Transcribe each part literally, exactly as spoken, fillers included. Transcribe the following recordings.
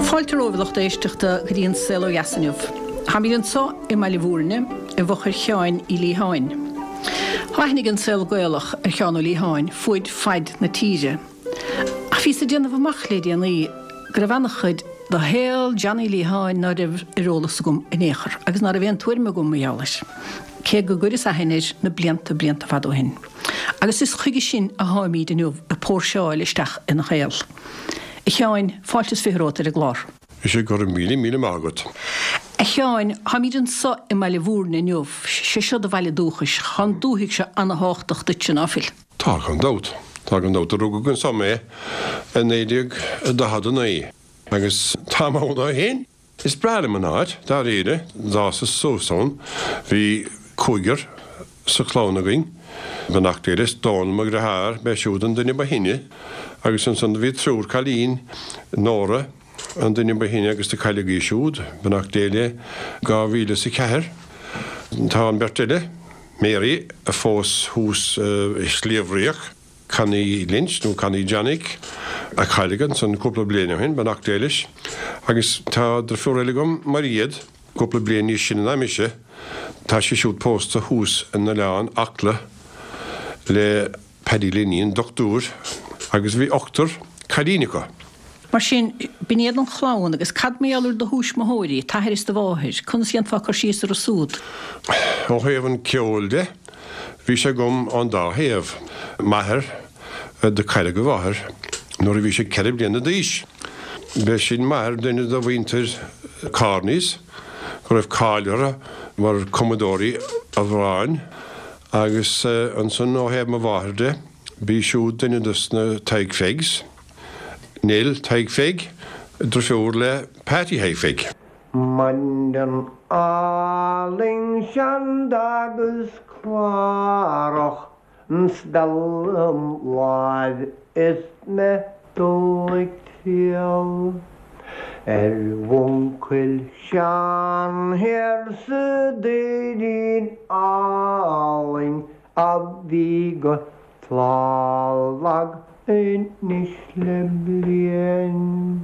Fáilte romhaibh a lucht éisteachta go dtí an Saol Ó Dheas inniu. Táimid anseo i mBaile Bhúirne i bhfochair Sheáin Uí Liatháin. Tá aithne ag an saol Gaelach ar Sheán Ó Liatháin fuaid faid na tíre. Ach bhíos ag déanamh amach le déanaí go raibh an-chuid de shaol Johnny Liatháin ná raibh ar eolas agam in aon chor agus ná raibh aon tuairim agam mar gheall air, cé go gcuireas aithne air na blianta blianta fada ó shin. Agus is chuige sin a tháimid inniu ag póirseáil isteach ina shaol. A Sheáin, fáilte is fiche romhat ar an gclár. Is é go raibh míle míle maith agat. A Sheáin, táimid anseo i mBaile Bhúirne inniu, sé seo do bhaile dúchais, tá an dúthaigh seo ana-thábhachtach duitse, ná fuil? Tá gan dabht. Tá gan dabht. Rugadh anso mé i naoi déag daichead a naoi agus táim ann ó shin. Is breá liom an áit, dáiríre. D'fhásas suas ann. Bhí cúigear sa chlann againn. Beannacht Dé leis, Dónal mo dheartháir, b'é siúd an duine ba shine agus ansan do bhí triúr cailín, Nóra an duine ba shine agus do cailleadh í siúd, beannacht Dé léi, dhá mhíle is a ceathair. Tá an bheirt eile, Mary a phós thuas i Sliabh Riach, Connie Lynch nó Connie Janik, a cailleadh ansan cúpla bliain ó shin, beannacht Dé leis, agus tá deirfiúr eile agam, Mairéad, cúpla bliain níos sine ná mise, tá sí siúd pósta thuas in Oileán Acla le Paddy Linney, dochtúir, agus bhí ochtar cailín acu. Mar sin, b'in iad an chlann, agus cad mar gheall ar do thuismitheoirí, t'athair is do mháthair, conas a dhéanfá cur síos orthu súd? Ó thaobh an ceoil de, bhí sé agam ón dá thaobh. M'athair, do cailleadh a mháthair nuair a bhí sé ceithre bliana d'aois. B'é sin m'athair, duine de mhuintir Kearneys, go raibh cáil orthu mar chumadóirí amhráin, agus ansan ó thaobh mo mháthair de, b'í siúd duine dos na Tadhg Phegs. Nell Thaidhg Pheig, deirfiúr le Patty Thaidhg Pheig. Maidin álainn sean d'fhágas Clárach 's speal im láimh is mé dul ag triall ar mh'uncail Seán thiar sa Doirín Álainn a bhí go tláth lag anois le bliain.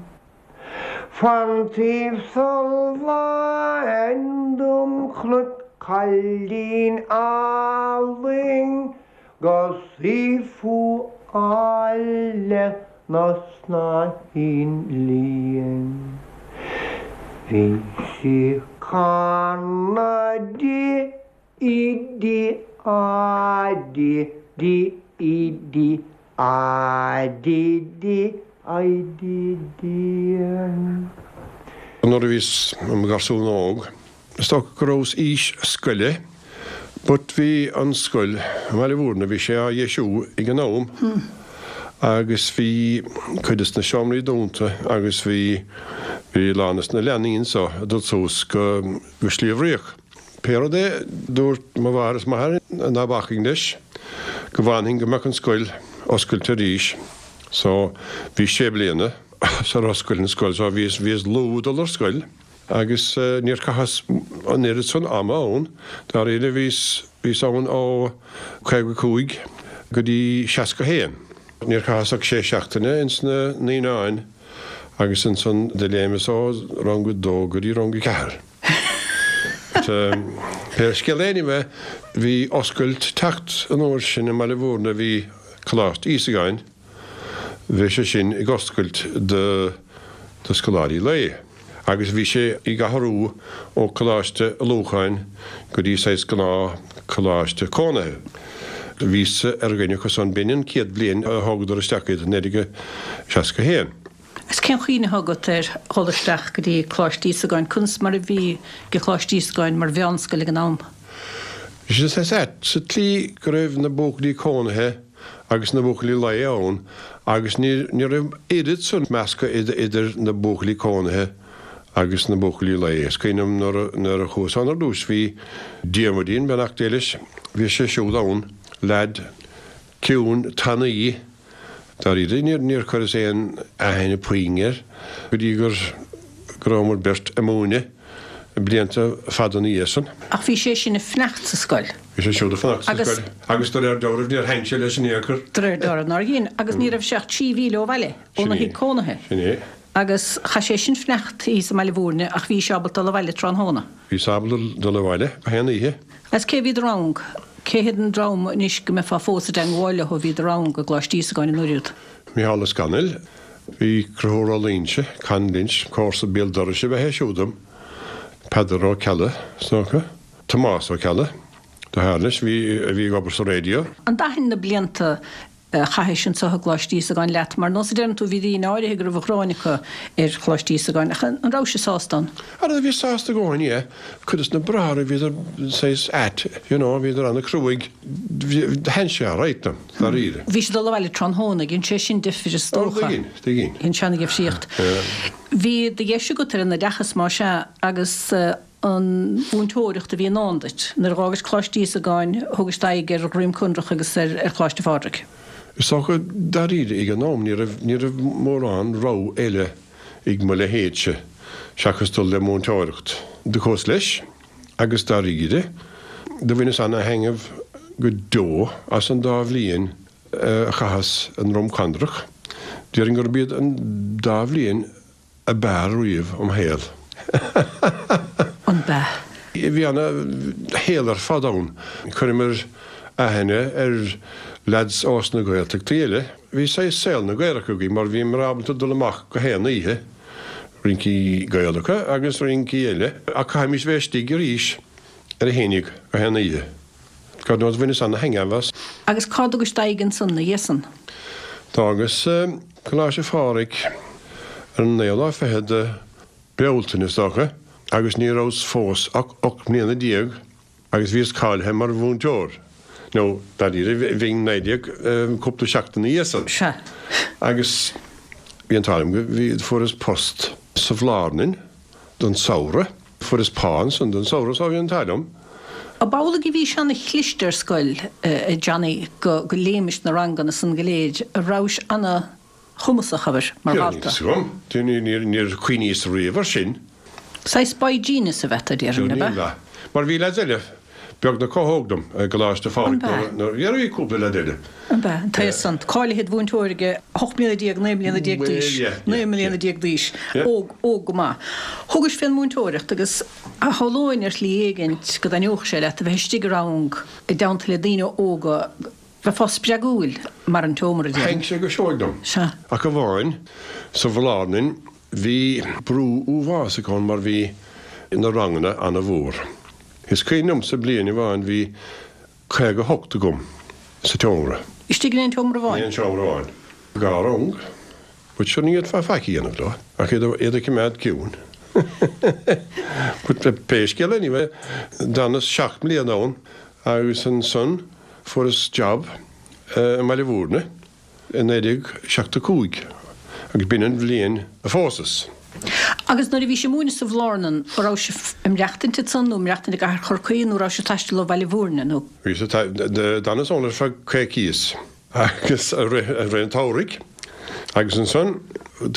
Fán taobh so láin dom chonac cailín álainn go saothú áille 'na snáithín lín. Bhí sí canadh di I D A D D I D A D D I D D N. Nuair a bhíos i mo gharsún óg, is dócha go rabhas aois scoile, but bhí an scoil i mBaile Bhúirne, bhí sé á dheisiú ag an am agus bhí cuid de na seomraí dúnta agus bhí bhí a lán des na leanaí anso ag dul suas go go Sliabh Riach. Pé rud é, dúirt mo mháthair is m'athair ná bacfainn leis, go bhfanfainn go mbeadh an scoil oscailte arís. So, bhí sé bliana sar oscail an scoil, so bhíos, bhíos luath dul ar scoil agus níor chaitheas an oiread san ama ann, dáiríre, bhíos, bhíos ann ó caoga cúig go dtí seasca haon. Níor chaitheas ach sé seachtaine ins na naíonáin agus ansan do léimeas ó rang a dó go dtí rang a ceathair. Pé scéal é anyway, bhí oscailt teacht an uair sin i mBaile Bhúirne, bhí Coláiste Íosagáin, bhí sé sin ag oscailt do do scoláirí lae agus bhí sé ag athrú ó Coláiste Lúcháin go dtí saghas gnáth coláiste cónaithe. Bhíos ar dhuine acu san, b'in an chéad bhliain a thógadar isteach iad, naoi déag seasca haon. Is cén chuimhne atá agat ar dhul isteach go dtí Coláiste Íosagáin? Conas mar a bhí ag Coláiste Íosagáin mar mheánscoil ag an am? Bhí sé saghas ait sa tslí go raibh na buachaillí cónaithe agus na buachaillí lae ann agus ní ní raibh oiread san meascadh idir na buachaillí cónaithe agus na buachaillí lae. Is cuimhin liom nuair a nuair a chuas ann ar dtús bhí Diarmuidín, beannacht Dé leis, bhí sé siúd ann, leaid ciúin tanaí. Dáiríre, níor chuireas aon aithne puinn air go dtí gur go rabhamar beirt ag múineadh blianta fada ina dhiaidh san. Ach bhí sé sin ag fanacht sa scoil. Bhí sé siúd ag fanacht sa scoil agus de réir dealraimh níor sheinn sé leis in aon chor. De réir dealraimh nár dhein, agus ní raibh sé ach trí mhíle ó bhaile, óna thigh cónaithe. Sin é. Agus chaith sé sin fanacht thíos i mBaile Mhúirne ach bhís ábalta dul abhaile tráthnóna. Bhíos ábalta dul abhaile go haon oíche. Agus cé bhí i do rang? Cé hiad an dream anois go mbeifeá fós i dteangmháil leo a bhí i do rang i gColáiste Íosagáin an uair úd? Mícheál Ó Scanaill, Bhí Conchúr Ó Loingsigh, Con Lynch, comharsa béal dorais ab ea é siúd dom, Peadar Ó Ceallaigh, is dócha, Tomás Ó Ceallaigh, deartháir leis, bhí, a bhí ag obair sa raidió. An dtaithin na blianta a chaithis anseo i gColáiste Íosagáin leat? Mar nós a deireann tú, bhí daoine áirithe go raibh an ghráin acu ar Choláiste Íosagáin, ach an rabhais sásta ann? Ara, bhíos sásta i gcónaí, yeah. Cuid des na bráithre, bhíodar saghas ait, you know, bhíodar an-cruaidh. Thaitin sé alright liom, dáiríre. Bhí siad ag dul abhaile tráthnóna, dhein sé sin difir is Ó, dócha. dtuiginn, tuiginn. Dhein sé an-difríocht. Bhí do dheis agat ar an oideachas, más ea, agus an mhúinteoireacht a bhí i ndán duit. Nuair a dh'fhágais Coláiste Íosagáin, thugais d'aghaidh ar Dhroim Conrach agus ar Choláiste Phádraig. Is dócha, dáiríre, ag an am, ní raibh, ní raibh mórán rogha eile ag mo leithéidse seachas dul le múinteoireacht. Do chuas leis agus dáiríre, do bhaineas ana-thaitneamh go deo as an dá bhliain a chaitheas i nDroim Conrach. Déarfainn gurb iad an dá bhliain ab fhearr riamh im shaol. An b'ea? Bhí ana shaol ar fad ann. Chuireamar aithne ar leaids ós na Gaeltachtaí eile. Bhí saghas saol na Gaelach againn mar bhíomar ábalta dul amach go haon oíche, rincí Gaelacha agus rincí eile, ach chaithimis bheith istigh arís ar a haon déag go haon oíche. God knows bhaineas ana-thaitneamh as. Agus cá dtugais d'aghaidh ansan ina dhiaidh san? D'fhágas Coláiste Phádraig ar an naoú lá fichead de Bealtaine, is dócha, agus ní rabhas fós ach ocht mbliana déag agus bhíos cáilithe mar mhúinteoir, nó dáiríre bhínn naoi déag cúpla seachtain ina dhiaidh san. Sea. Agus bhí an t-ádh liom go, bhí, fuaireas post sa Bhlárnain don samhradh, fuaireas pá ansan don samhradh so bhí an t-ádh liom. Ab amhlaidh a bhís ana-chliste ar scoil, a Johnny, go go léimis na ranganna san go léir, a rabhais ana-chumasach, abair, mar Níl dhalta? fhios agam. Níor níor chuimhníos riamh air sin. Saghas boy genius a bheith, a déarfainn, ab ea? Mar bhí leaids eile beagnach chomh hóg dom i gColáiste An Phádraig b'ea? nuair nuair bhí cúpla leaid eile. An b'ea? An t-aos san, cáilithe id mhúinteoir ag ocht mbliana déag, naoi mbliana déag Bhuel, d'aois, yeah, naoi yeah, mbliana yeah. déag d'aois, Yeah. óg, óg go maith. Thugais fén múinteoireacht agus shamhlóinn ar shlí éigint go dtaitneodh sé leat a bheith istigh i rang i dteannta le daoine óga, bheifeá spreagúil mar an tseomra, déarfainn. Thaitn sé go seoigh liom. Sea. Ach amháin, sa Bhlárnain, bhí brú uafásach ann mar bhí na ranganna ana-mhór. Is cuimhin liomsa bliain amháin bhí caoga hocht agam sa tseomra. Istigh in aon tseomra amháin? In aon seomra amháin. Dhá rang. But sure ní fhéadfá faic a dhéanamh leo ach iad iad a choimeád ciúin. But pé scéal anyway, d'fhanas seacht mbliana ann agus ansan fuaireas job i mBaile Mhúirne i naoi déag seachtó cúig agus b'in an bhliain a phósas. Agus nuair a bhís ag múineadh sa Bhlárnan, an raibh sibh ag maireachtaint ansan nó ag maireachtaint i gcathair Chorcaí nó raibh sibh ag taisteal ó Bhaile Mhúirne nó? Bhíos ag d'fhanas ann ar feadh coicíos agus i rith i rith an tsamhraidh agus ansan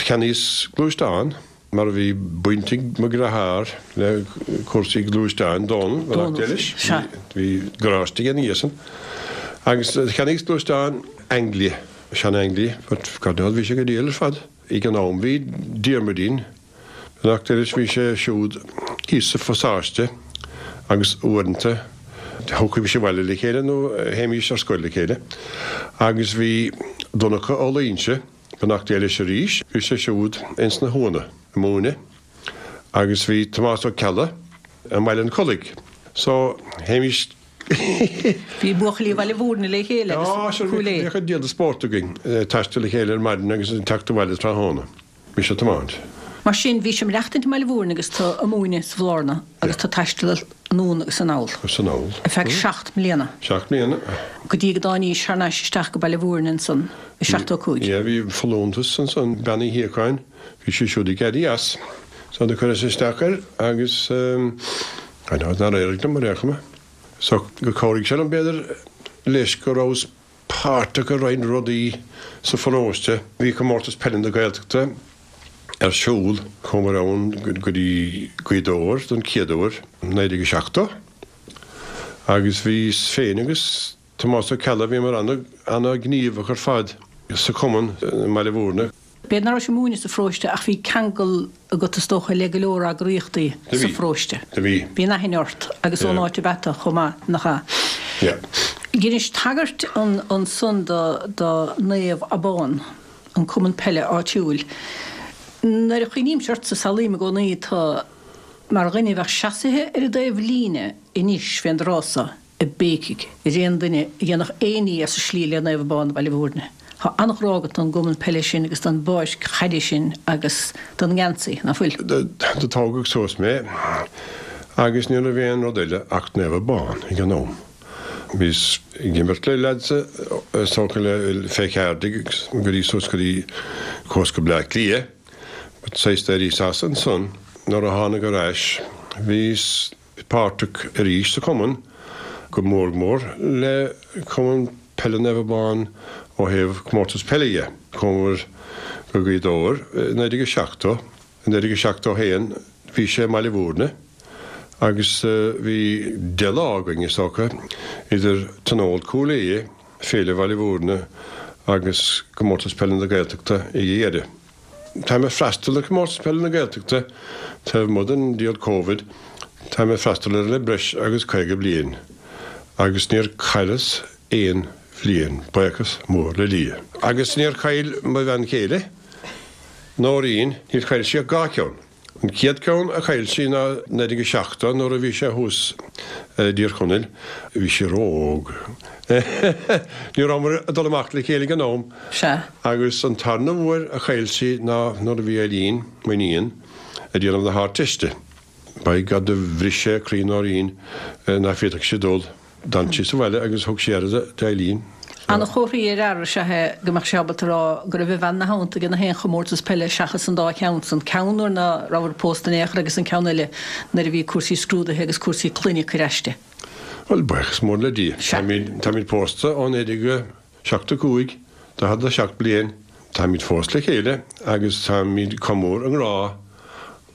cheannaíos gluaisteán mar a bhí baint ag mo dheartháir le cúrsaí gluaisteáin, Dónal, Dónal, beannacht Dé leis, sea. bhí garáiste aige ina dhiaidh san agus cheannaíos gluaisteán Anglia, sean-Anglia, but God knows bhí sé go diail ar fad. Ag an am bhí Diarmuidín, beannacht Dé leis, bhí sé siúd thíos sa phasáiste agus uaireanta thiocfaimis abhaile le chéile nó théimis ar scoil le chéile. Agus bhí Donncha Ó Loingsigh, beannacht Dé leis arís, bhí sé siúd ins na hUanna ag múineadh agus bhí Tomás Ó Ceallaigh i mBaile an Chollaigh. So théimis Bhí buachaillí Bhaile Mhúirne le chéile agus Á, sure, Cúil Aodha. bhíodh an diabhal de spórt againn, taisteal le chéile ar maidin agus teacht abhaile tráthnóna. Mise ag tiomáint. Mar sin, bhís ag maireachtaint i mBaile Mhúirne agus tú ag múineadh sa Bhlárna agus tú ag taisteal anonn agus anall. Agus anall. Ar feadh seacht mbliana. Seacht mbliana. Go dtí go dtáinís thar n-ais isteach go Baile Mhúirne ansan i seachtó cúig. Yeah, bhí folúntas ansan, Bean Uí Shíocháin, bhí sí siúd ag éirí as. So do chuireas isteach air agus, I know, nár éirigh liom ar aon chuma. So gur chabhraigh sé liom b'fhéidir leis go rabhas páirteach i roinnt rudaí sa pharóiste. Bhí Comórtas Peile na Gaeltachta ar siúl, chuamar ann go dtí Gaoth Dobhair don chéad uair, naoi déag seachtó, agus bhíos féin agus Tomás Ó Ceallaigh, bhíomar ana-ghníomhach ar fad sa chumann i mBaile Mhúirne. B'fhéidir nach raibh sé ag múineadh sa pharóiste ach bhí ceangal agat is dócha le go leor eagraíochtaí sa pharóiste. Do bhí. Bhí an aithne ort agus ón áit ab ea tú chomh maith, nach ea? Yeah. Dheinis tagairt ansan do do Naomh Abán, an cumann peile áitiúil. Nuair a chuimhnímse ortsa samhlaím i gcónaí tú mar dhuine a bheadh seasaithe ar an dtaobh líne anois fén dtráth so ag béicigh ar aon duine a dhéanfadh aon ní as an slí le Naomh Abán Bhaile Bhúirne. Tá an-ghrá agat don gcumann peile sin agus don bpáirc chaide sin agus don ngeansaí, ná fuil? Do tógadh suas mé agus ní raibh aon rud eile ach Naomh Abán ag an am. Bhíos ag imirt le leaids is dócha le fé cheathair déag go dtí suas go dtí chuas go Bleá Cliath. But saghas d'éiríos as ansan nuair a tháinig ar ais bhíos páirteach arís sa chumann, go mór mór le Cumann Peile Naomh Abán ó thaobh comórtas peile dhe. Chuamar go Gaoth Dobhair i naoi déag a seachtó, i naoi déag a seachtó a haon bhí sé i mBaile Bhúirne agus bhí deich lá againn is dócha idir Tionól Chúil Aodha, Féile Bhaile Bhúirne agus Comórtas Peile na Gaeltachta ag a dheireadh. Táim ag freastal ar Chomórtas Peile na Gaeltachta taobh amuigh den diabhal Covid, táim ag freastal air le breis agus caoga bliain agus níor chailleas aon bhliain, buíochas mór le Dia. Agus níor chaill mo bhean chéile, Nóirín, níor chaill sí ach dhá cheann. An chéad ceann a chaill sí ná naoi déag a seachtó nuair a bhí sé thuas i dTír Chonaill. Bhí sí ró-óg. Ní rabhamar ag dul amach le chéile ag an am. Sea. Agus an tarna huair a chaill sí ná nuair a bhí Eileen, m'iníon, ag déanamh na hArdteiste. By God do bhris sé croí Nóirín nach bhféadfadh sí dul. D'fhan sí sa bhaile agus thug sí aire d'Eileen. Ana-chomhartha ar fhear is ea é go mbeadh sé ábalta a rá go raibh a bhean ina theannta ag na haon chomórtas peile seachas an dá cheann san, ceann nuair ná rabhadar pósta in aon chor agus an ceann eile nuair a bhí cúrsaí scrúdaithe agus cúrsaí clainne ag cur aisti. Bhuel, buíochas mór le Dia. Sea. Táimid pósta ó naoi déag seachtó cúig, daichead a seacht bliain. Táimid fós le chéile agus táimid chomh mór i ngrá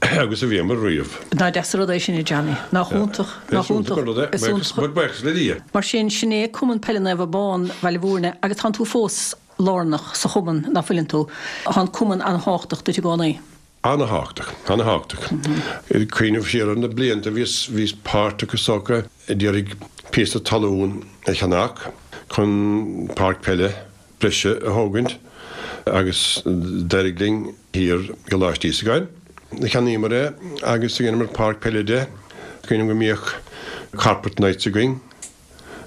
agus a bhíomar riamh. Nach deas an rud é sin, a Johnny. Nach iontach, nach Is iontach an rud é. Is iontach. Buíochas le Dia. Mar sin, sin é Cumann Peile Naomh Abán, Bhaile Bhúirne, agus tánn tú fós lárnach sa chumann, ná fuileann tú? Tá an cumann an-thábhachtach duit i gcónaí. An-thábhachtach, an-thábhachtach. Ag cuimhneamh siar ar na blianta, bhíos, bhíos páirteach is dócha i d'iarraidh píosa talún a cheannach chun páirc peile breise a thógaint agus d'éirigh linn thiar i gColáiste Íosagáin. Cheannaíomar é agus dheineamar páirc peile de. Cuimhním go mbíodh carpet nights againn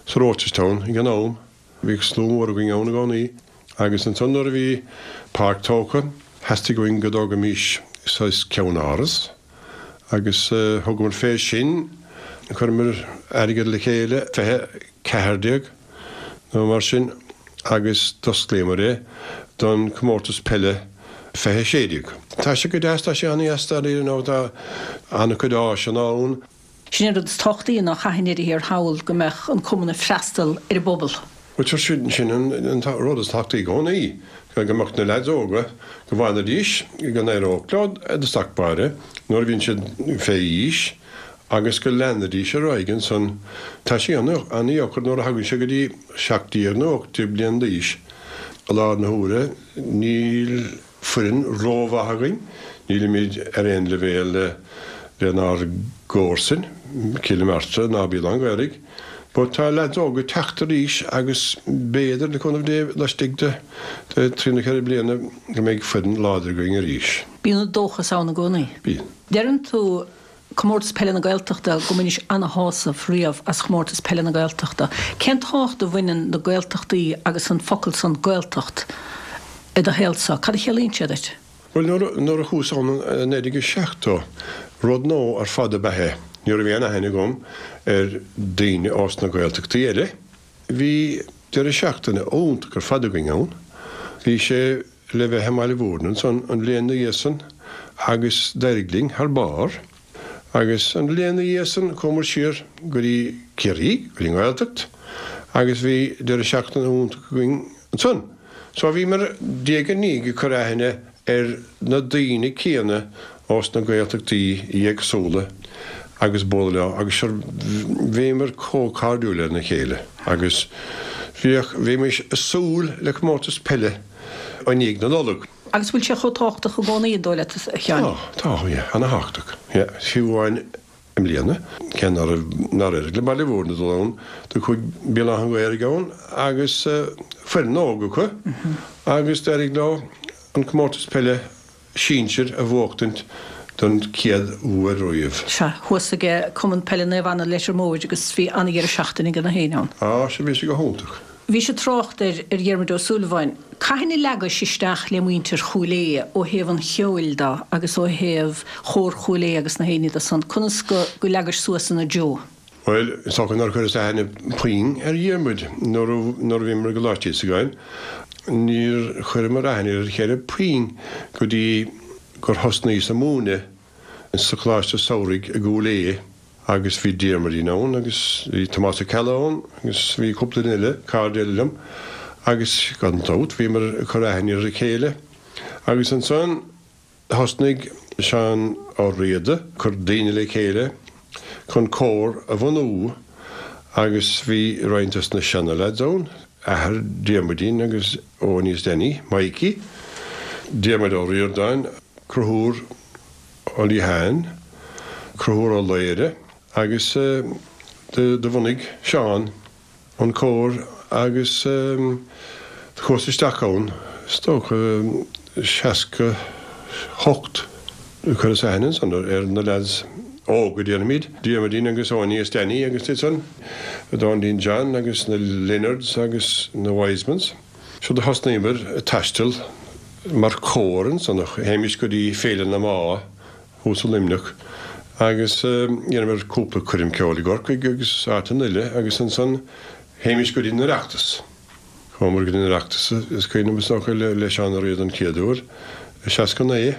sa Rochestown ag an am. Bhíodh slua mór againn ann i gcónaí agus ansan nuair a bhí páirc tógtha, theastaigh uainn go dtógaimis saghas ceannáras agus thugamar fé sin. Chuireamar airgead le chéile, fiche ceathair déag nó mar sin, agus d'osclaíomar é don chomórtas peile fiche sé déag. Tá sé go deas, tá sé an-deas dáiríre nó tá an-chuid áiseanna ann. Sin an rud is tábhachtaí ná chaithfinn ar thiar thall go mbeadh an cumann ag freastal ar an bpobal. Bhuel, sin sin an rud is tábhachtaí i gcónaí, go mbeadh na leaids óga, go bhfanfaidís, go n-éireodh leo i dtosach báire nuair a bhíonn siad fé aois agus go leanfaidís ar aghaidh ansan. Tá sé an-deacair nuair a thagann sé go dtí seacht déag nó ocht déag bliain d'aois. I láthair na huaire níl foireann rómhaith againn, nílimid ar aon leibhéal lenár gcomharsain, Cill Martra ná Béal Átha an Ghaorthaidh, but tá leaids óga ag teacht arís agus b'fhéidir, le cúnamh Dé, laistigh de trí nó ceithre bliana go mbeidh foireann láidir againn arís. Bíonn an dóchas ann i gcónaí. Bíonn. Deireann tú Comórtas Peile na Gaeltachta, go mbainis ana-shásamh riamh as Chomórtas Peile na Gaeltachta. Cén tábhacht a bhaineann na Gaeltachtaí agus an focal san Gaeltacht i do shaolsa? Cad a chiallaíonn sé duit? Bhuel, nuair a chuas ann i naoi déag seachtó, rud nua ar fad ab ea é. Ní raibh aon aithne agam ar daoine ós na Gaeltachtaí eile. Bhí deireadh seachtaine iontach ar fad againn ann. Bhí sé le bheith i mBaile Bhúirne ansan an bhliain 'na dhiaidh san agus d'éirigh linn thar barr. Agus an bhliain 'na dhiaidh san chuamar siar go dtí Ciarraí, go dtí an Ghaeltacht, agus bhí deireadh seachtaine iontach againn ansan. So bhíomar diaidh ar ndiaidh ag cur aithne ar na daoine céanna ós na Gaeltachtaí éagsúla agus bualadh leo agus sure bhíomar chomh cairdiúil lena chéile agus bhíodh, bhímis ag súil le comórtas peile i ndiaidh na Nollag. Agus bhfuil sé chomh tábhachtach i gcónaí, an dóigh leat, a Sheáin? Tá, tá, yeah, ana-thábhachtach. Yeah, fiú amháin i mbliana, cé nár nár éirigh le Baile Mhúirne dul ann, do chuaigh Béal Átha an Ghaorthaidh ann agus foireann óg acu agus d'éirigh leo an comórtas peile sinsir a bhuachtaint don chéad uair riamh. Sea, thuas ag Cumann Peile Naomh Anna Leitir Móir agus bhí an-dheireadh seachtaine ag na héinne ann. Á, sea, bhí sé go hiontach. Bhís ag trácht ar ar Dhiarmuid Ó Súilleabháin. Cathain a leagais isteach le muintir Chúil Aodha ó thaobh an cheoil de agus ó thaobh Chór Chúil Aodha agus na héinne de san? Conas go go leagais suas ina dtreo? Bhuel, is dócha nár chuireas aithne puinn ar Dhiarmuid nuair a nuair a bhíomar i gColáiste Íosagáin. Níor chuireamar aithne ar a chéile puinn go dtí gur thosnaíos ag múineadh sa Choláiste Samhraidh i gCúil Aodha agus bhí Diarmuidín ann agus bhí Tomás Ó Ceallaigh ann agus bhí cúpla duine eile, cairde eile liom agus gan dabht bhíomar ag cur aithne ar a chéile agus ansan thosnaigh Seán Ó Riada ag cur daoine le chéile chun cór a bhunú agus bhí roinnt dos na seana-leaids ann, athair Diarmuidín agus Eoin is Danny, Mikey, Diarmuid Ó Ríordáin, Conchúr Ó Liatháin, Conchúr Ó Laoire agus do bhunaigh Seán an cór agus do chuas isteach ann, is dócha, seasca hocht. Chuireas aithne ansan ar na leaids óga, déarfaimid, Diarmuidín agus Eoiní is Danny agus iad san, Doindín John agus na Leonards agus na Wisemans. So do thosnaíomar ag taisteal mar chór ansan, théimis go dtí Féile na mBá thuas i Luimneach agus dheineamar cúpla coirm ceoil i gCorcaigh agus áiteanna eile agus ansan théimis go dtí an Oireachtas. Chuamar go dtí an Oireachtas, is cuimhin liom is dócha le Seán Ó Riada an chéad uair i seasca naoi.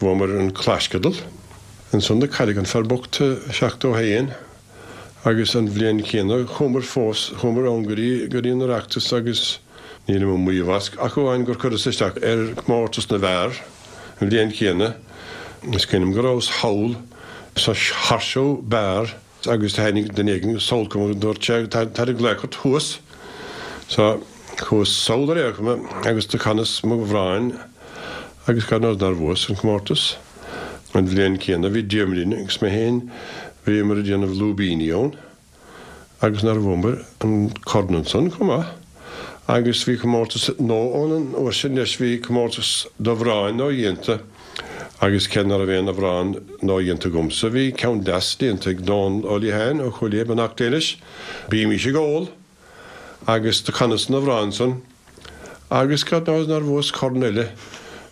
Bhuamar an claisceadal. Ansan do cailleadh an fear bocht i seachtó haon agus an bhliain chéanna chuamar fós, chuamar ann go dtí, go dtí an Oireachtas agus nílim ag maíomh as ach amháin gur chuireas isteach ar chomórtas na bhfear an bhliain chéanna. Is cuimhin liom go rabhas thall sa Horseshoe Bar agus tháinig duine éigin sall chugam agus dúirt sé, Táid ag glaoch ort thuas. So, chuas sall ar aon chuma agus do chanas m'amhrán agus God knows nár bhuas an comórtas. An bhliain chéanna bhí Diarmuidín agus mé féin, bhíomar ag déanamh lúibíní ann agus nár bhuamar an corn ansan chomh maith. Agus bhí comórtas nua ann an uair sin leis, bhí comórtas d'amhráin nua-dhéanta agus cé ná raibh aon amhrán nua-dhéanta agamsa, bhí ceann deas déanta ag Dónal Ó Liatháin ó Chúil Aodha, beannacht Dé leis, Bímís ag Ól! Agus do chanas an amhrán san agus God knows nár bhuas corn eile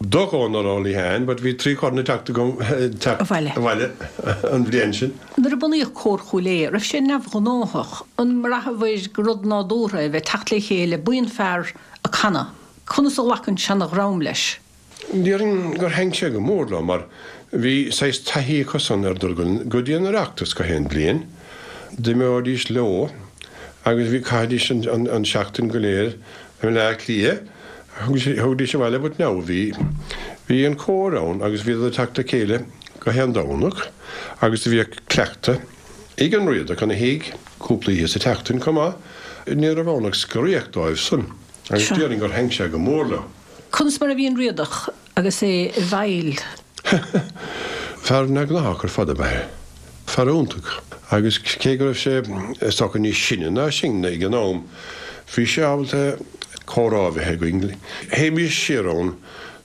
do Dhónal Ó Liatháin but bhí trí chorn ag teacht agam teacht Abhaile. abhaile an bhliain sin. Nuair a bunaíodh Cór Chúil Aodha, raibh sé neamhghnáthach? An mbraitheabhair gur rud nádúrtha é a bheith ag teacht le chéile, buíon fear ag canadh? Conas a ghlac an seanadhream leis? Déarfainn gur thaitin sé go mór leo mar bhí saghas taithí acusan ar dul go dtí an Oireachtas gach aon bhliain. D'imeoidís leo agus bhí, chaithidís an seachtain go léir i mBaile Átha Cliath, thagaidís abhaile but now bhí, bhí an cór ann agus bhíodar ag teacht le chéile gach aon Domhnach agus do bhíodh cleachtadh ag an Riadach ina thigh cúpla oíche sa tseachtain chomh maith. Ní raibh ann ach scoraíocht dóibh san agus déarfainn gur thaitin sé go mór leo. Conas mar a bhí an Riadach agus é i bhfeighil? Fear neamhghnách ar fad ab ea é. Fear iontach. Agus cé go raibh sé, is dócha, níos sine ná sinne ag an am, bhí sé ábalta comhrá a bheith againn. Théimis siar ann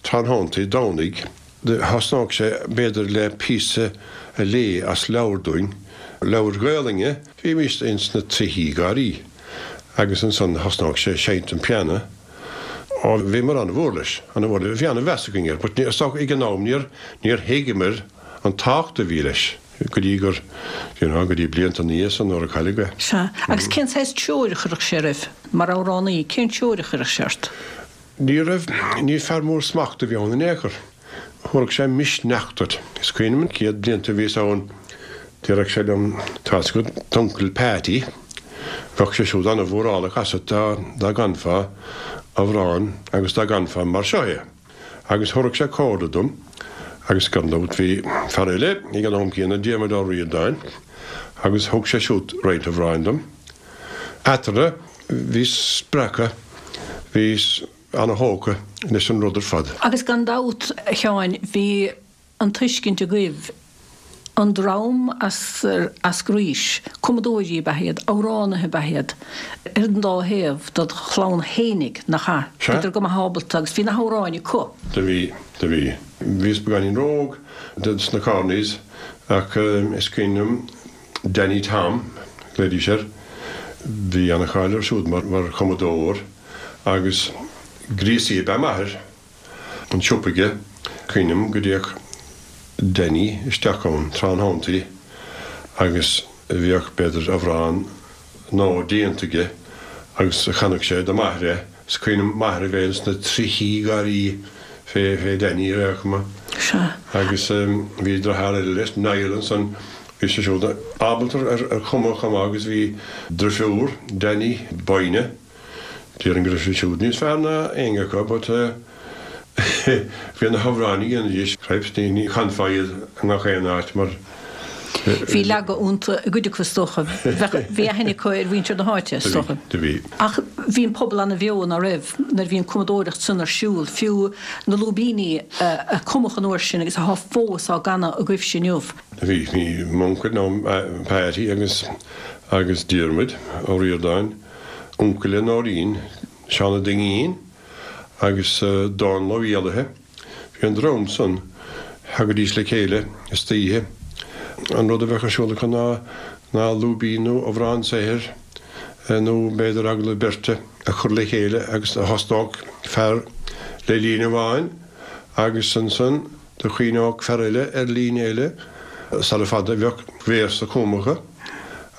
tráthnóntaí Domhnaigh. Thosnódh sé, b'fhéidir, le píosa a léamh as leabhar dúinn, leabhar Gaelainne. Bhímis ins na trithí gáirí agus ansan thosnódh sé ag seinnt an pianó. Á, bhíomar an-mhór leis, an-mhór leis. Bhí an-mheas againn air, but is dócha ag an am níor, níor thuigeamar an tábhacht a bhí leis go dtí gur, you know, go dtí blianta ina dhiaidh san nuair a cailleadh é. Sea. Agus cén saghas treoir a chuirfeadh sé oraibh, mar amhránaí, cén treoir a chuirfeadh sé ort? Ní raibh, ní fear mór smachta a bhí ann in aon chor. Thabharfadh sé misneach duit. Is cuimhin liom an chéad blianta a bhíos ann, déarfadh sé liom, Tá's agat d'uncail Peaití, bheadh sé siúd an-mhórálach asat dá dá gcanfá amhrán agus dá gcanfá mar seo é. Agus thabharfadh sé comhairle dom agus gan dabht bhí fear eile ag an am céanna, Diarmuid Ó Ríordáin, agus thug sé siúd roinnt amhráin dom. Eatarthu bhí spreacadh, bhí. ana-thógtha leis an rud ar fad. Agus gan dabht, a Sheáin, bhí an tuiscint agaibh, an dream as Eascraois, cumadóirí ab ea iad, amhránaithe ab ea iad, ar an dá thaobh dod chlann fhéinig, nach ea? Sea. Bhíodar go maith ábalta agus bhí na hamhráin acu. Do bhí, do bhí. Bhíos beagáinín ró-óg dos na Corneys ach is cuimhin liom Danny Tom, glaoidís air, bhí ana-cháil air siúd mar, mar chumadóir agus gríosaí ab ea m'athair, an siopa aige, cuimhin liom go dtéadh Danny isteach ann tráthnóntaí agus bhíodh b'fhéidir amhrán nó déanta aige agus chanadh sé do m'athair é. Is cuimhin liom m'athair a bheith ins na trithí gáirí fé, fé Danny ar aon chuma. Sea. Agus bhí deartháir eile leis, Niall ansan, bhí sé siúd ábalta ar, ar chumadh chomh maith agus bhí drifiúr Danny, Boyne, Déarfainn go raibh sé siúd níos fearr ná éinne acu but bhí na hamhráin a dhéanaidís, cripes, ní chanfá iad i ngach aon áit mar Bhí leagadh iontu i gcuid acu is dócha. Bhí aithne acu ar mhuintir na háite is dócha. Do bhí. Ach bhí an pobal ana-bheo, ná raibh, nuair a bhí an cumadóireacht san ar siúl, fiú na lúibíní a cumadh an uair sin agus atá fós á gcanadh agaibhse inniu. Do bhí. Bhí m'uncail nó Paddy agus agus Diarmuid Ó Ríordáin. Uncail le Nóirín, Seán Ó Duinnín agus Dónal Ó Héalaithe. Bhí an dream san, thagaidís le chéile istoíche. An rud a bheadh ar siúl acu ná ná lúibín nó amhrán saothair nó b'fhéidir agallamh beirte a chur le chéile agus thosnódh fear le líne amháin agus ansan do chuimhneodh fear eile ar líne eile. Sara fada bheadh véarsa cumtha acu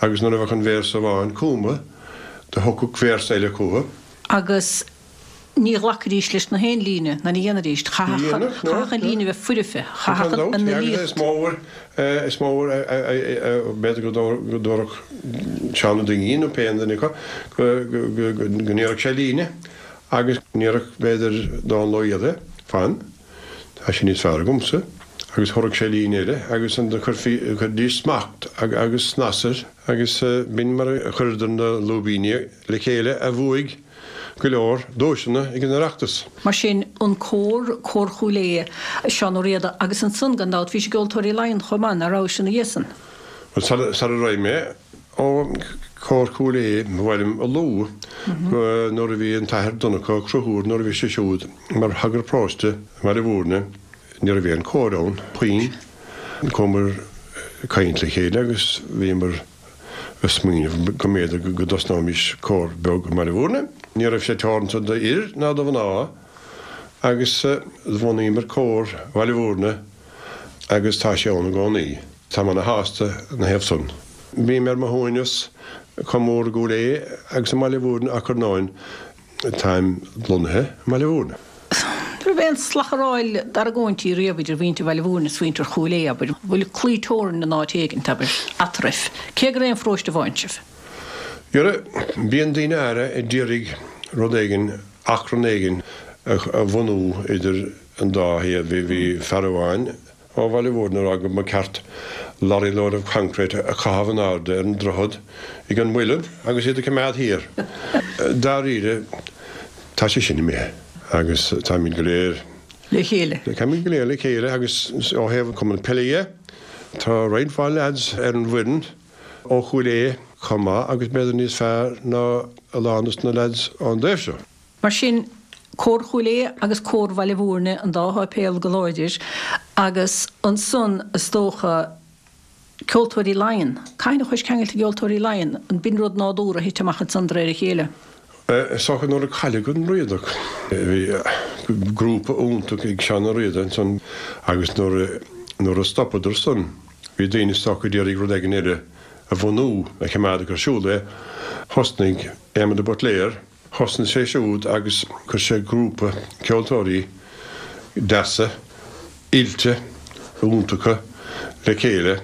agus nuair a bheadh an véarsa amháin cumtha, do thiocfadh véarsa eile chucu. Agus ní ghlacfaidís leis na haon líne, ná ní dhéanfaidís. Chaithfeadh an líne bheith foirfe, chaithfeadh an fhilíocht. Is mór, is mór, b'fhéidir go dtabharfadh Seán Ó Duinnín nó pé duine acu go ndéarfadh sé líne agus ndéarfadh b'fhéidir Dónal Ó Héalaithe, fan, tá sin níos fearr agamsa, agus thabharfadh sé líne eile agus ansan chuiridís smacht agus snas air. Agus b'in mar a chuireadar na lúibíní le chéile a bhuaigh go leor duaiseanna ag an Oireachtas. Mar sin, an cór, Cór Chúil Aodha, Seán Ó Riada, agus ansan, gan dabht, bhí sé i gCeoltóirí Laighean chomh maith, nach rabhais ina dhiaidh san? Bhuel, sara raibh mé ó Chór Chúil Aodha, ba mhaith liom a lua nuair a bhí an tAthair Donncha Ó Conchúir, nuair a bhí sé siúd mar shagart paróiste i mBaile Mhúirne, ní raibh aon chór ann, puinn. Chuamar ag caint le chéile agus bhíomar ag smaoineamh go mb'fhéidir go dtosnóimis cór beag i mBaile Mhúirne. Ní raibh sé teoranta d'fhir ná do mhná agus bhunaíomar cór Bhaile Mhúirne agus tá sé ann i gcónaí. Táim ana-shásta ina thaobh san. Bím ar mo shuaimhneas chomh mór i gCúil Aodha agus i mBaile Mhúirne ach ar ndóin táim lonnaithe i mBaile Mhúirne. An raibh aon slacharáil d'argóintí riamh idir mhuintir Bhaile Mhúirne is mhuintir Chúil Aodha, abair? Bhfuil claí teorann in áit éigint, abair, eatarthu, cé gur aon pharóiste amháin sibh? Dhera, bíonn daoine áirithe a d'iarraidh rud éigin, achrann éigin a bhunú idir an dá thaobh. Bhí fear amháin ó Bhaile Mhúirne ag rá go mba ceart lorry load of concrete a chaitheamh in airde ar an droichead ag an Muileann agus iad a choimeád thiar. Dáiríre, tá sé sin imithe agus táimid go léir. Le chéile. Táimid go léir le chéile agus ó thaobh Cumann Peile dhe, tá roinnt mhaith leaids ar an bhfoireann ó Chúil Aodha chomh maith agus b'fhéidir níos fearr ná a lán dos na leaids ón dtaobh seo. Mar sin, Cór Chúil Aodha agus Cór Bhaile Mhúirne, an dá sháipéal go láidir, agus ansan, is dócha, Ceoltóirí Laighean. Cathain a chuais ceangailte i gCeoltóirí Laighean? An b'in rud nádúrtha a thit amach ansan de réir a chéile? Is dócha nuair a cailleadh an Riadach, bhí grúpa iontach ag Seán Ó Riada ansan agus nuair a nuair a stopadar san, bhí daoine is dócha a d'iarraidh rud éigin eile a bhunú, a choimeád ar siúl é. Thosnaigh Éamon de Buitléar, Thosnaigh sé siúd agus chuir sé grúpa ceoltóirí deasa, oilte, iontacha le chéile,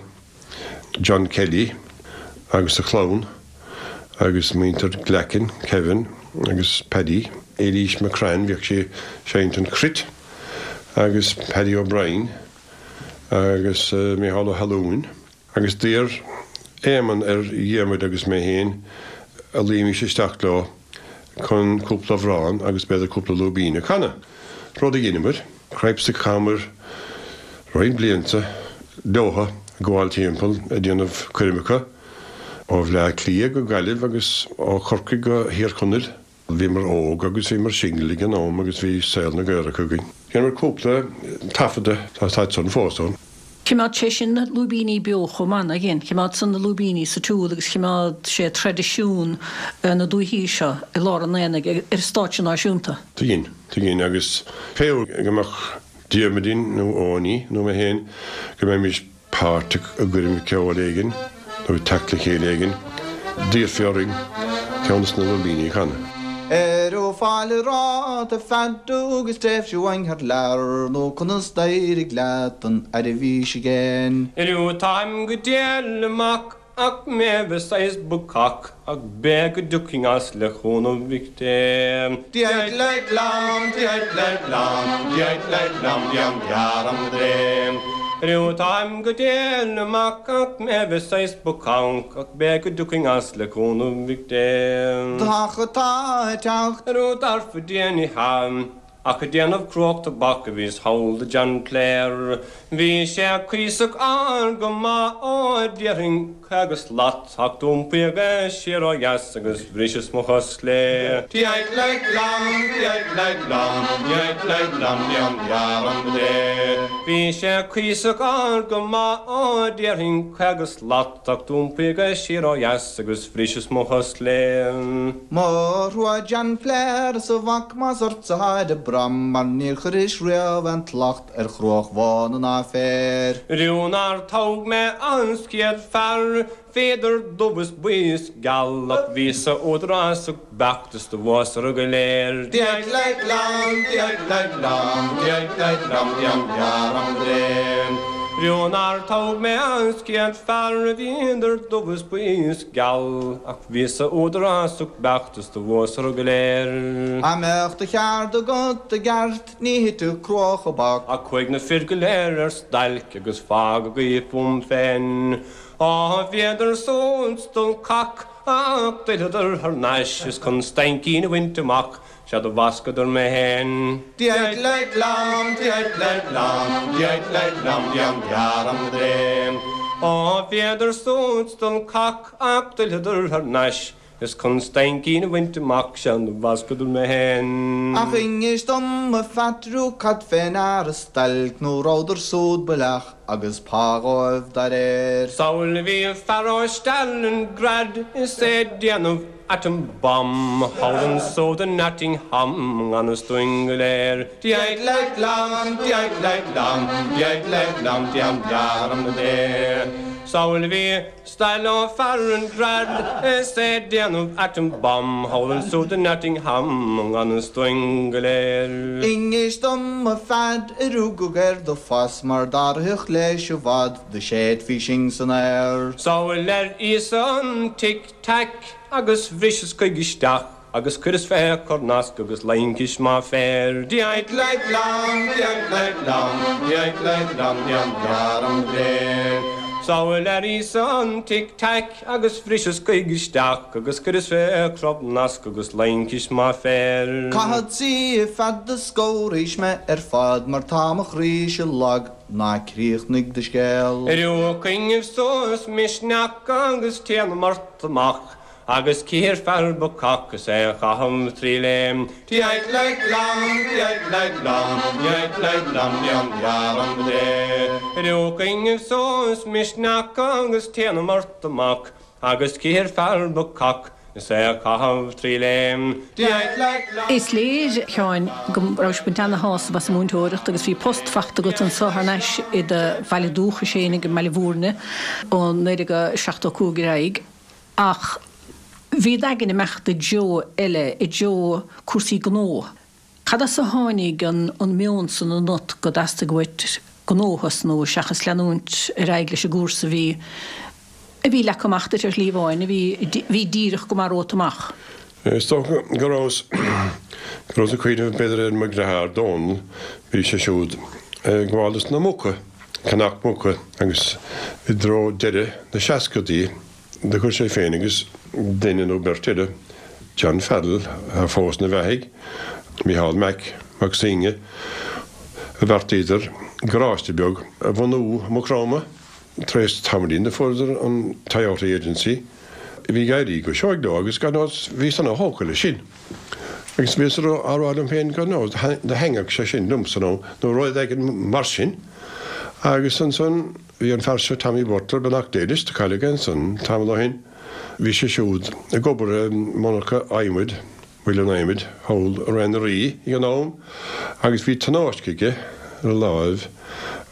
John Kelly agus a chlann agus muintir Glackin, Kevin agus Paddy, Eilís McCrann, bhíodh sí ag seinnt an chruit, agus Paddy O'Brien agus Micheál Ó hAllúin. Agus d'iarr Éamonn ar Dhiarmuid agus mé féin a luímis isteach leo chun cúpla amhrán agus b'fhéidir cúpla lúibín a chanadh. Rud a dheineamar, cripes a chaitheamar roinnt blianta leotha ag gabháil timpeall ag déanamh coirmeacha ó Bhleá Cliath go Gaillimh agus ó Chorcaigh go Thír Chonaill. Bhíomar óg agus bhíomar single ag an am agus bhí saol na gcaorach againn. Dhéanamar cúpla taifeadadh tá siad san fós ann. Choimeád sé sin na lúibíní beo chomh maith nár dhein, choimeád san na lúibíní sa tsiúl agus choimeád sé traidisiún na dúichí seo i lár an aonaigh ar stáitse náisiúnta. Do dhein, do dhein agus pé uair go mbeadh Diarmuidín nó Eoiní nó mé féin go mbeimis páirteach i gcoirm ceoil éigin nó ag teacht le chéile éigin, d'iarrfaí orainn ceann de na lúibíní a chanadh. Ar fáil rá feadú agus tréimhse uainn thar lear nó conas d'éirigh leat an fhad a bhí sé again. Inniu táim go diail amach ach mé bheith saghas bacach ach b'fhéidir go dtiocfainn as le cúnamh Mhic Dé. Diait leit lam, diait leit lam, diait leit lam, diam dearam dréim. Inniu táim go diail amach ach mé bheith saghas bacach ach b'fhéidir go dtiocfainn as le cúnamh Mhic Dé. Tá tá teacht Arú darfa déanaí ham. Ach ag déanamh cruach tobac a bhíos thall do John Clare. Bhí sé cuíosach ard go maith ó déarfainn caoga slat ach d'iompaíodh é siar ó dheas agus bhriseas mo chos chlé. Diait leit lam, diait leit lam, diait leit lam, diam dearam dé. Bhí sé cuíosach ard go maith ó déarfainn caoga slat ach d'iompaíodh é siar ó dheas agus bhriseas mo chos chlé. Mo thrua John Clare is a mhac más ortsa atá ag brath mar níor chuiris riamh aon tslacht ar chruach bhán an áiféir. Riú nár toghadh mé an chéad fear, bhíodar dubh is buí is geal ach bhíos-sa údarásach beacht is do bhuasar go léir. Diait leit lam, diait leit lam, diait leit lam, diam dearam dréim. Riú nár toghadh mé an chéad fear, bhíodar dubh is buí is geal ach bhíos-sa údarásach beacht is do bhuasar go léir. Dá mbeadh do cheard agat i gceart ní thitfeadh cruach i bpac. Ach chuaigh na fir go léir ar stailc agus fágadh í fúm féin. Á bhíodar súd dul cac ach d'fhilleadar thar n-ais is chun staincín a bhaint amach sea do bhascadar mé féin. Diait leit lam, diait leit lam, diait leit lam, diam dearam dréim. Á bhíodar súd dul cac ach d'fhilleadar thar n-ais is chun staincín a bhaint amach sea do bhascadar mé féin. Ach inis dom a Phatriú cad fén ar stailc nó rabhadar súd baileach agus pá dhóibh dá réir. Samhail bhí fear ó Stalingrad is é ag déanamh atom bomb thall anso i Nottingham i ngan fhios dúinn go léir. Diait leit lam, diait leit lam, diait leit lam, diam dearam dé. Samhail bhí stail ó Stalingrad is é ag déanamh atom bomb thall anso i Nottingham i ngan fhios dúinn go léir. Inis dom a Phad a rugadh ar do phas mar dá rithfeadh leis i bhfad do shéidfí sinn san aer. Samhail ar íosa an Tic Tac agus bhriseas chuige isteach agus chuireas fé cornasc agus laincis má féir. Diait leit lam, diait leit lam, diait leit lam, diam dearam dréim. Samhail ar íosa an Tic Tac agus bhriseas chuige isteach agus chuireas fé chrobnasc agus laincis má féir. Caithfead suí feadh do scóraís mé ar fad mar tá mo chroíse lag ná críochnaigh do scéal. Arú coinnibh suas misneach agus téanam ort amach agus cíor fear bacach is é a chaitheamh trí léim. Diait leit lam, diait leit lam, diait leit lam, diam dearam dé. Arú coinnibh suas misneach agus téanam ort amach agus cíor fear bacach is é a chaitheamh trí léim. Diait leit lam. Is léir Sheáin go raibh sibh ag baint ana-shásamh as an múinteoireacht agus bhí post faighte agat anseo thar n-ais i do bhaile dúchais féin i mBaile Bhúirne ó naoi déag seachtó cúig ar aghaidh ach bhí d'aigne ag imeacht i dtreo eile, i dtreo cúrsaí gnó. Cad as a tháinig an an meon san ionat go dteastaigh uait gnó a thosnú seachas leanúint ar aghaidh leis an gcúrsa a bhí a bhí leagtha amach duit ar shlí amháin, a bhí bhí díreach go maith romhat amach? Is dócha go rabhas go rabhas ag cuimhneamh b'fhéidir ar mo dheartháir Dónal, bhí sé siúd ag gabháil dos na muca, ceannach muca agus i dtreo deireadh na seascadaí do chuir sé féin agus duine nó beirt eile John Farrell a fós ina bheathaidh, Micheál Mac Mac Synge, bheartaíodar garáiste beag a bhunú i Maigh Chromtha. Tar éis tamaillín do fuaireadar an Toyota Agency. Bhí ag éirí go seoigh leo agus gan dabht bhíos ana-thógtha leis sin. Agus bhíos á rá liom féin gan dabht do thaitneodh sé sin liomsa nó nó rud éigin mar sin. Agus ansan bhí an fear seo Tommy Butler, beannacht Dé leis, do cailleadh é ansan tamall ó shin. Bhí sé siúd ag obair i monarcha adhmaid, muileann adhmaid, thall i Rath na Rí ag an am agus bhí tionóisc aige ar a láimh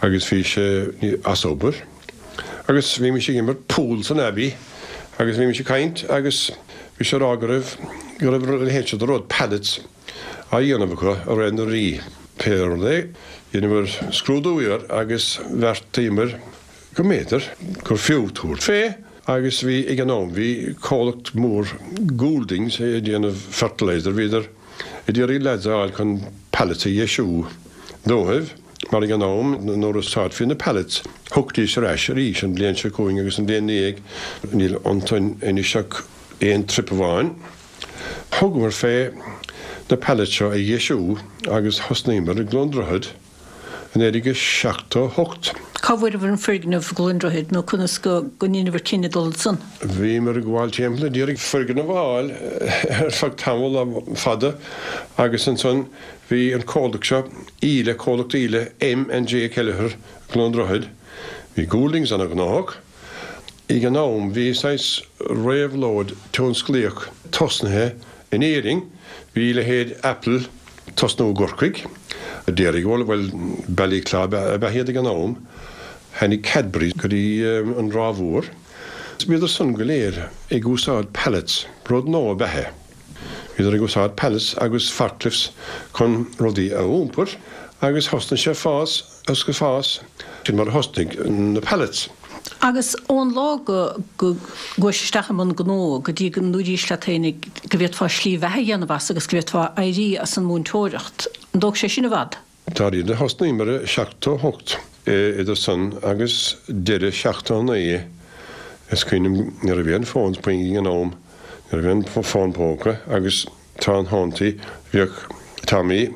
agus bhí sé as obair. Agus bhímis ag imirt pool san Abbey agus bhímis ag caint agus bhí sé ag rá go raibh, go raibh a leithéid seo de rud, pallets, á dhéanamh acu i Rath na Rí. Pé rud é, dheineamar scrúdú air agus bheartaíomar go mb'fhéidir gur fiú tabhairt fé agus bhí ag an am, bhí comhlacht mór Gouldings ag déanamh fertilizer, bhíodar ag iarraidh lads a fháil chun pallets a dheisiú dóibh mar ag an am nuair a úsáidfí na pallets thiocfaidís ar ais arís an bhliain seo chugainn agus an bhliain ina dhiaidh, níl iontu anois ach aon trip amháin. Thugamar fé na pallets seo a dheisiú agus thosnaíomar i gCluain Droichead i naoi déag seachtó hocht. Cá bhfuaireabhair an foirgneamh i gCluain Droichead nó conas go ndeineabhair cinneadh dul ansan? Bhíomar ag gabháil timpeall ag iarraidh foirgneamh a fháil ar feadh tamall fada agus ansan bhí an comhlacht seo, Íle, comhlacht Íle, M and J Kelleher, i gCluain Droichead. Bhí Gouldings ana-ghnóthach. Ag an am bhí saghas réabhlóid tionsclaíoch tosnaithe in Éirinn, bhí leithéid Apple ag tosnú i gCorcaigh, Dairygold, bhuel, Ballyclough ab ea iad ag an am, tháinig Cadbury go dtí an Ráth Mhór. Bhíodar san go léir ag úsáid pallets, rud nua ab ea é. Bhíodar ag úsáid pallets agus forklifts chun rudaí a iompar agus thosnaigh sé ag fás agus ag fás, sin mar a thosnaigh na pallets. Agus ón lá go gcuais isteach i mbun gnó go dtí go ndúraís leat féinig go bhféadfá slí bheatha a dhéanamh as agus go bhféadfá éirí as an múinteoireacht, an dtóg sé sin i bhfad? Dáiríre, thosnaíomar i seachtó hocht, idir san agus deireadh seachtó naoi, is cuimhin liom ní raibh aon fón puinn ag an am, ní raibh aon fón póca agus tráth an thonntaí bhíodh Tommy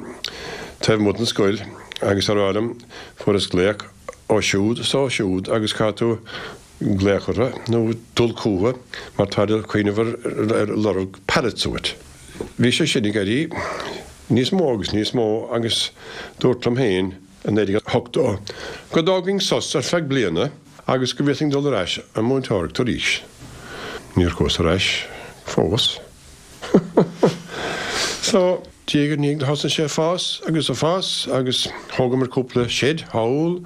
taobh amuigh den scoil agus á rá liom, fuaireas glaoch ó siúd is ó siúd agus caithfidh tú glaoch orthu nó dul chucu mar táid ag cuimhneamh ar lorg pallets uait. Bhí sé sin ag éirí níos mó agus níos mó agus dúrt liom féin i naoi déag ochtó go dtógfainn sos ar feadh bliana agus go bhféadfainn dul ar ais ag múinteoireacht arís. Níor chuas ar ais fós. So, diaidh ar ndiaidh thosaigh sé ag fás agus ag fás agus thógamar cúpla shed thall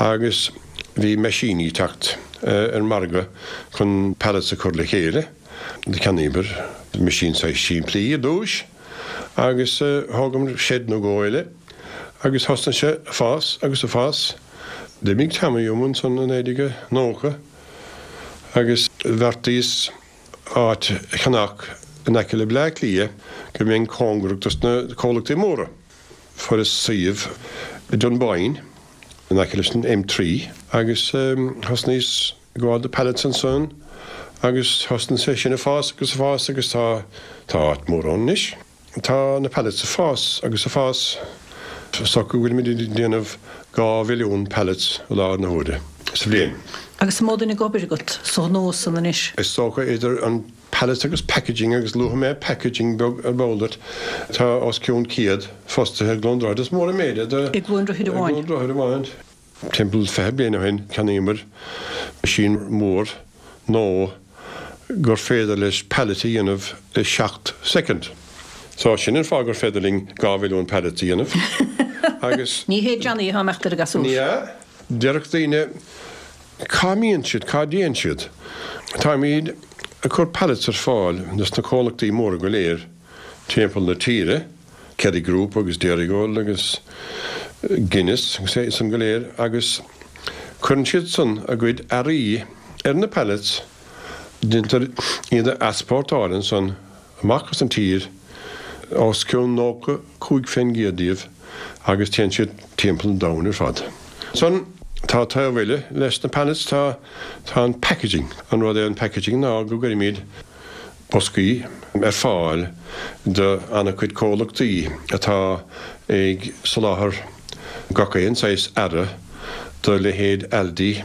agus bhí meaisíní ag teacht ar an margadh chun pallets a chur le chéile. Cheannaíomar meaisín saghas simplí ar dtúis agus thógamar shed nó dhó eile agus thosnaigh sé ag fás agus ag fás. D'imigh Tommy uaim ansan i naoi déag nócha agus bheartaíos áit a cheannach in aice le Bleá Cliath go mbeinn cóngarach dos na comhlachtaí móra. Fuaireas suíomh i Dunboyne in aice leis an M trí agus thosnaíos ag gabháil do pallets ansan agus thosnaigh sé sin ag fás agus ag fás agus tá tá áit mór ann anois. Tá na pallets ag fás agus ag fás. Is dócha go bhfuilimid ag déanamh dhá mhilliún pallets i láthair na huaire sa bhliain. Agus an mó duine ag obair agat sa ghnó san anois? Is dócha idir an pallets agus packaging agus luafaidh mé packaging beag ar ball duit, tá os cionn céad fostaithe i gCluain Droichead. Is mór an méid é do. I gCluain Droichead amháin? I gCluain Droichead amháin. Timpeall fiche bliain ó shin cheannaíomar meaisín mór nua gur féidir leis pallet a dhéanamh i seacht soicind. So sin an fáth gur féidir linn dhá mhilliún pallet a dhéanamh. Agus. Ní hé Johnny atá imeacht ar a ghasúr. Ní hea. Déarfadh daoine, cá mbíonn siad, cá dtéann siad? Táimid ag cur pallets ar fáil dos na comhlachtaí móra go léir timpeall na tíre, Kerry Group agus Dairygold agus Guinness agus iad san go léir agus cuireann siad san a gcuid earraí ar na pallets, déantar iad a easpórtáil ansan amach as an tír, os cionn nócha cúig fén gcéad díobh agus téann siad timpeall an domhain ar fad. Ansan tá taobh eile leis na pallets, tá tá an packaging. An rud é an packaging ná go gcuirimid boscaí ar fáil do an-chuid comhlachtaí atá ag soláthar gach aon saghas earra do leithéid Aldi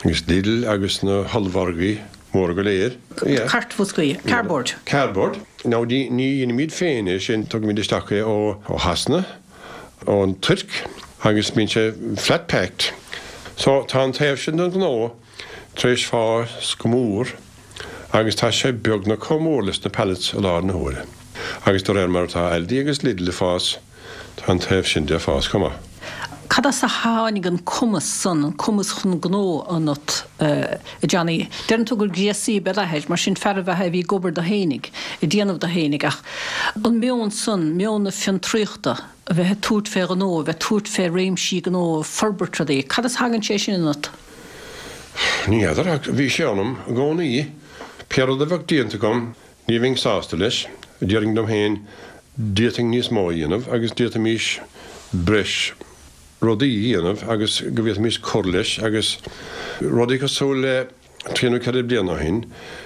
agus Lidl agus na hollmhargaí móra go léir. Cairtbhoscaí, cardboard. Cardboard. Now ní dhéanaimid féin é sin tugaimid isteach é ó ó Shasana, ón Tuirc agus bíonn sé flat packed. So tá an taobh sin den ghnó tar éis fás go mór agus tá sé beagnach chomh mór leis na pallets i láthair na huaire. Agus de réir mar atá Aldi agus Lidl ag fás, tá an taobh sin de ag fás chomh maith. Cad as a tháinig an cumas san, an cumas chun gnó ionat, a Johnny? Deireann tú gur gréasaí ab ea d'athair, mar sin fear ab ea é a bhí ag obair dó fhéinig, ag déanamh dó fhéinig, ach an meon san, meon na fiontraíochta, a bheith ag tabhairt fé ghnó, a bheith ag tabhairt fé réimsí gnó, forbairt rudaí, cad as a thagann sé sin ionat? Ní fheadar, ach bhí sé ionam i gcónaí. Pé rud a bheadh déanta agam, ní bheinn sásta leis. Déarfainn liom féin, d'fhéadfainn níos mó a dhéanamh agus d'fhéadfaimis breis rudaí a dhéanamh agus go bhféadfaimis cur leis agus rudaí cosúil le trí nó ceithre bliana ó shin,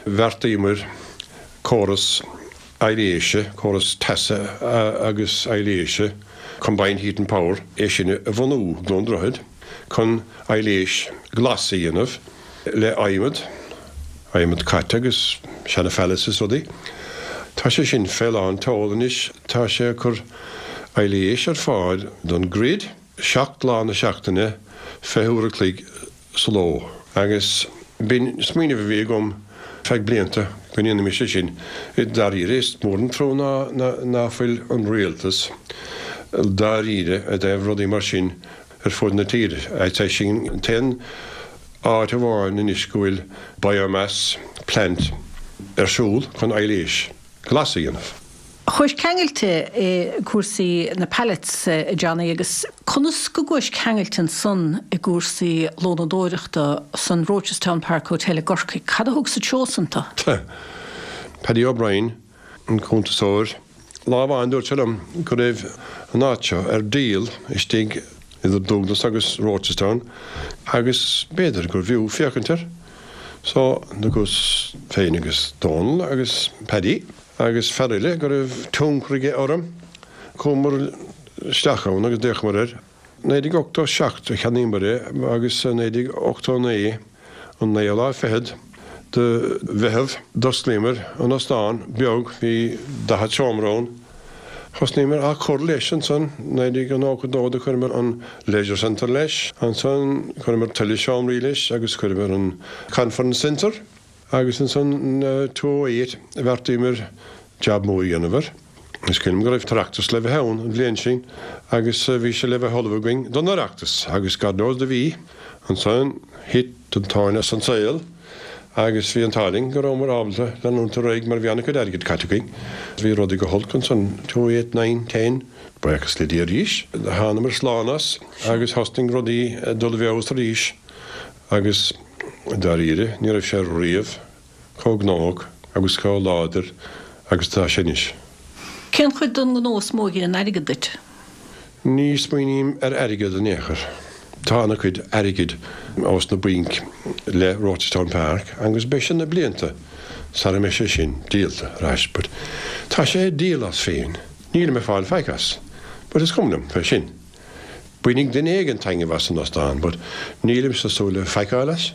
bheartaíomar córas aibhléise, córas teasa agus aibhléise, combined heat and power, é sin a bhunú i gCluain Droichead chun aibhléis glas a dhéanamh le adhmad, adhmad caite agus seana phallets is rudaí. Tá sé sin fé lán tseoil anois, tá sé ag cur aibhléis ar fáil don grid. seacht lá na seachtaine, fiche uair a chloig sa ló. Agus b'in smaoineamh a bhí agam feadh blianta, go ndéanfaimis é sin. I dáiríre, is mór an trua ná ná fuil an rialtas dáiríre i dtaobh rudaí mar sin ar fud na tíre. I'd say sin an t-aon áit amháin anois go bhfuil biomass plant ar siúl chun aibhléis glas a dhéanamh. Chuais ceangailte i gcúrsaí na pallets, a Johnny, agus conas go gcuais ceangailte ansan i gcúrsaí lónadóireachta san Rochestown Park Hotel i gCorcaigh? Cad a thug sa treo san tú? Paddy O'Brien, an cuntasóir, lá amháin dúirt sé liom go raibh an áit seo ar díol istigh idir Dúglas agus Rochestown agus b'fhéidir gurbh fhiú féachaint air. So, do chuas féin agus Dónal agus Paddy agus fear eile go raibh tionchar aige orm, chuamar isteach ann agus d'fhéachamar air. Naoi déag ochtó seacht a cheannaíomar é agus naoi déag ochtó naoi, an naoú lá fichead de Mheitheamh, d'osclaíomar an óstán beag, bhí daichead seomra ann. Thosnaíomar á cur leis ansan, naoi déag nócha dó do chuireamar an Leisure Centre leis, ansan chuireamar tuilleadh seomraí leis agus chuireamar an Conference Centre agus ansan two oh eight bheartaíomar jab mór a dhéanamh air. Is cuimhin liom go raibh tOireachtas le bheith ann an bhliain sin agus bhí sé le bheith ullamh againn don Oireachtas agus God knows do bhí. Ansan thit an tóin as an saol Agus bhí an t-ádh linn go rabhamar ábalta leanúint ar aghaidh mar bhí an-chuid airgid caite againn. Bhí rudaí go holc ansan, two, eight, nine, ten, buíochas le Dia arís. Thánamar slán as agus thosnaigh rudaí ag dul i bhfeabhas arís agus dáiríre ní raibh sé riamh chomh gnóthach agus chomh láidir agus atá sé anois. Cén chuid den ghnó is mó a ghineann airgead duit? Ní smaoiním ar airgead in aon chor. Tá an-chuid airgid ós na bainc le Rochestown Park agus beidh sé na blianta sara mbeidh sé sin díolta ar ais but tá sé ag díol as féin. Nílim ag fáil faic as but is cuma liom fé sin. Bainfidh duine éigin taitneamh as an óstán but nílimse ag súil le faic a fháil as.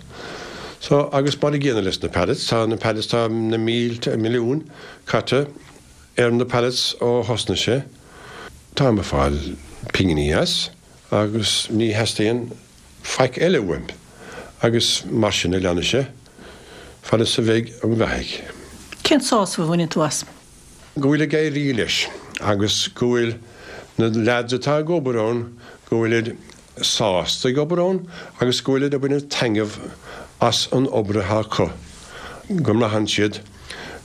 So agus mar an gcéanna leis na pallets, tá na pallets, tá na mílte, milliúin caite ar na pallets ó thosnaigh sé. Táim ag fáil pinginí as agus ní theastaíonn faic eile uaim agus mar sin a leanfaidh sé fad is a bheidh an bheathaidh. Cén sásamh a bhaineann tú as? Go bhfuil ag éirí leis agus go bhfuil na leaids atá ag obair ann, go bhfuilid sásta ag obair ann agus go bhfuilid ag baint taitneamh as an obair atá acu, go mbraitheann siad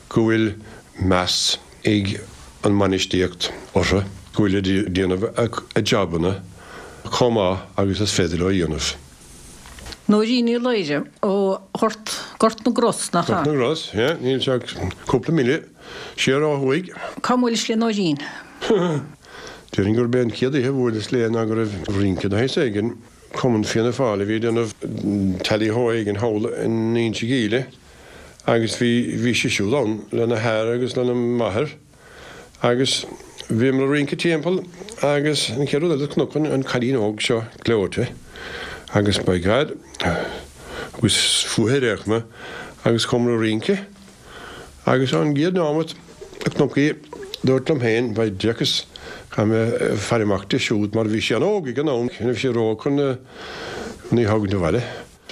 go bhfuil meas ag an mbainistíocht orthu, go bhfuilid ag déanamh a jabanna chomh maith agus is féidir leo a dhéanamh. Nóirín Ní Laoire ó Ghort, Gort na gCros, nach ea? Gort na gCros, yeah, níl sé ach cúpla míle siar ó thuaidh. Cá mbuailis le Nóirín? Déarfainn gurb é an chéad oíche a bhuaileas léi ná go raibh rince de shaghas éigin, Cumann Fianna Fáil a bhí ag déanamh tally-ho éigin thall in Inse Gile Agus bhí bhí sí siúd ann lena hathair agus lena máthair agus bhíomar ag rince timpeall agus an chéad rud eile chonac an cailín óg seo gleoite agus by God agus fúithi ar aon chuma agus chuamar ag rince agus an gcéad nóiméad a chonac í dúrt liom féin by Jesus caithfidh mé faire amach di siúd mar bhí sí an-óg ag an am ní raibh sí ró-óg chun chun í a thógaint abhaile.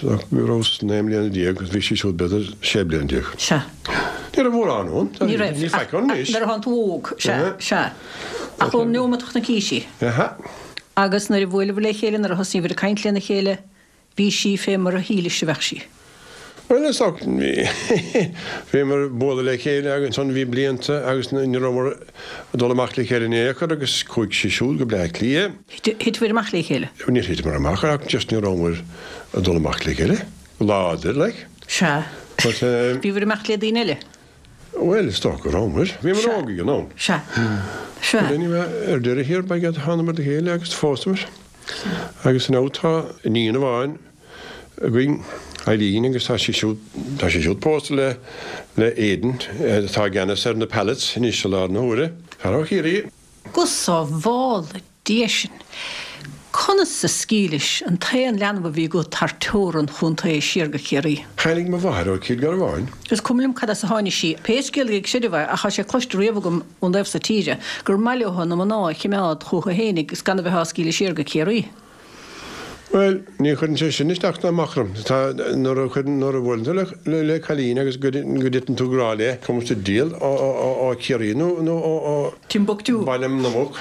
Go rabhas naoi mbliana déag agus bhí sí siúd b'fhéidir sé bliana déag. Sea. Ní raibh mórán ann. Ní raibh. Ní faic ann anois. Nuair a thánn tú óg. Sea, sea. Ach ón neomat a chonaic sí. Aha. Agus nuair a bhuaileabhair le chéile, nuair a thosnaíobhair ag caint lena chéile, bhí sí fé mar a shílis a bheadh sí. Bhuel, is dócha, bhíomar ag bualadh le chéile agus ansan bhí blianta agus ní rabhamar ag dul amach le chéile in aon chor agus chuaigh sí siúd go Bleá Cliath. Thiteabhair amach le chéile? Níor thiteamar amach ach just ní rabhamar ag dul amach le chéile. Láidir, like. Sea. But, um, Bhíobhair ag imeacht le daoine eile? Bhuel, is dócha go rabhamar. Bhíomar Sea. óg ag an am. Sea. Sea. But anyway, ar deireadh thiar, by God, thánamar le chéile agus phósamar. Agus now tá iníon amháin againn, Eileen, agus tá sí siúd, tá sí siúd pósta le, le Aidan, atá i gceannas ar na pallets anois i láthair na huaire. Fear ó Chiarraí. Go sábhála Dia sinn! Conas a scaoilis an t-aon leanbh a bhí agat thar teorainn chontae siar go Ciarraí? Tháinig mo mháthair ó Chill Garbháin. Is cuma liom cad as a tháinig sí, pé scéal é ag seideamh é, ach tá sé cloiste riamh agam ón dtaobh so tíre gur maith leo na mná a chimeád chucu fhéinig is gan a bheith á scaoileadh siar go Ciarraí. Bhuel, ní chuireann sé sin isteach ná amach orm. Tá, nuair a chuireann, nuair a bhuaileann tú le, le cailín agus go, go dtiteann tú i ngrá léi, cuma sa diabhal ó, ó, ó, ó Chiarraí nó, nó ó, ó Timbuktu. Baile na Muc.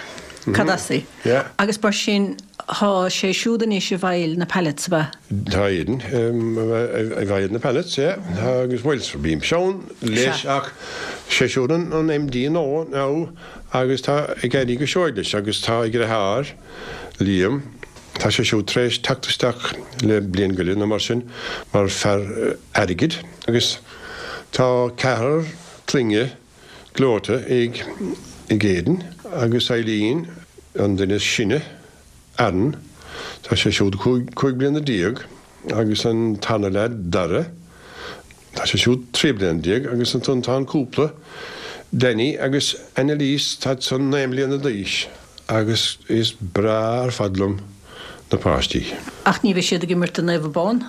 Cad as í? Yeah. Agus mar sin, tá sé siúd anois i bhfeighil na pallets, ab ea? Tá Aidan i bhfeighil na pallets, yeah. Agus bhuel, bímse ann leis Sea. ach sé siúd an, an MD nua now agus tá ag éirí go seoigh leis agus tá a dheartháir, Liam, Tá sé siúd tar éis teacht isteach le bliain go leith nó mar sin mar fear airgid agus tá ceathrar clainne gleoite ag ag Aidan agus Eileen, an duine is sine, Aaron, tá sé siúd cúig cúig bliana déag agus an tarna leaid, Dara, tá sé siúd trí bliana déag agus ansan tá an cúpla, Danny agus Annalise, táid san naoi mbliana d'aois. Agus is breá ar fad liom na páistí. Ach ní bheidh siad ag imirt do Naomh Abán?